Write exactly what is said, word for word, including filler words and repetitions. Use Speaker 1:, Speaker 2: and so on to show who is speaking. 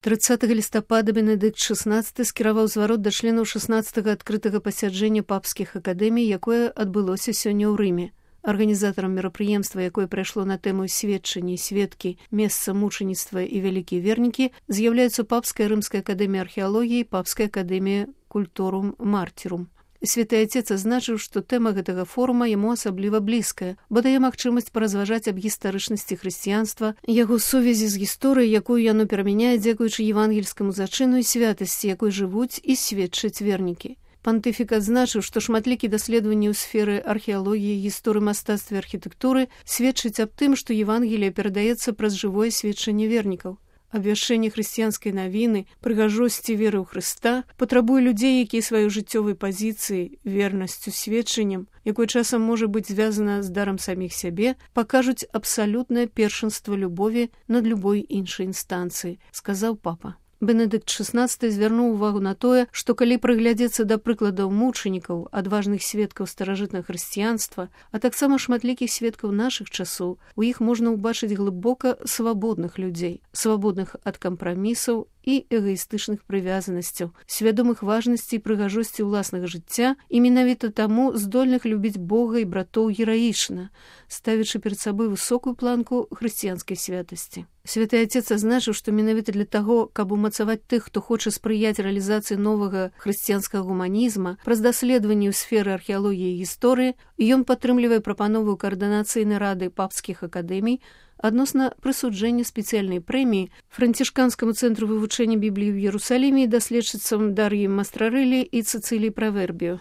Speaker 1: трыццатага лістапада Бенедыкт шаснаццаты скіраваў зварот да членаў шаснаццатага адкрытага пасяджэння папскіх акадэмій, якое адбылося сёння ў Рыме. Арганізатарам мерапрыемства, якое прайшло на тэму сведчанні, сведкі, месца мучаніцтва і вялікія вернікі, з'яўляюцца Папская рымская акадэмія археалогіі і Папская акадэмія культурум мартірум. Святы Отец азначыў, што тэма гэтага форума яму асабліва блізкая, бо дае магчымасць паразважаць аб гістарычнасці хрысціянства, яго сувязі з гісторыяй, якую яно перамяняе дзякуючы евангельскаму зачыну і святасці, якой жывуць і сведчаць вернікі. Пантыфік адзначыў, што шматлікія даследаванні ў сферы археалогіі, гісторыі мастацтва і архітэктуры сведчаць аб тым, што Евангеліе перадаецца праз жывое сведчанне вернікаў. Абвяшчэнне хрысціянскай навіны, прыгажосці веры ў Хрыста патрабуе людзей, якія сваёй жыццёвай пазіцыі, вернасцю, сведчаннем, якое часам можа быць звязана з дарам саміх сябе, пакажуць абсалютнае першынства любові над любой іншай інстанцыі, сказаў папа. Бенедыкт шаснаццаты звярнуў увагу на тое, што калі прыглядзецца да прыкладаў мучанікаў, адважных сведкаў старажытнага хрысціянства, а таксама шматлікіх сведкаў нашых часоў, у іх можна ўбачыць глыбока свабодных людзей, свабодных ад кампрамісаў і эгаістычных прывязанасцяў, свядомых важнасці і прыгажосці ўласнага жыцця і менавіта таму здольных любіць Бога і братоў гераічна, ставячы перад сабой высокую планку хрысціянскай святасці. Святы Отец азначыў, што менавіта для таго, каб умацаваць тых, хто хоча спрыяць рэалізацыі новага хрысціянскага гуманізма праз даследаванні ў сферы археалогіі і гісторыі, ён падтрымлівае прапанову каардынацыйнай рады папскіх акадэмій адносна прысуджэння спецыяльнай прэміі францішканскаму цэнтру вывучэння Бібліі ў Іерусаліме і даследчыцам Дар'і Мастрарэлі і Цэцыліі Правербіо.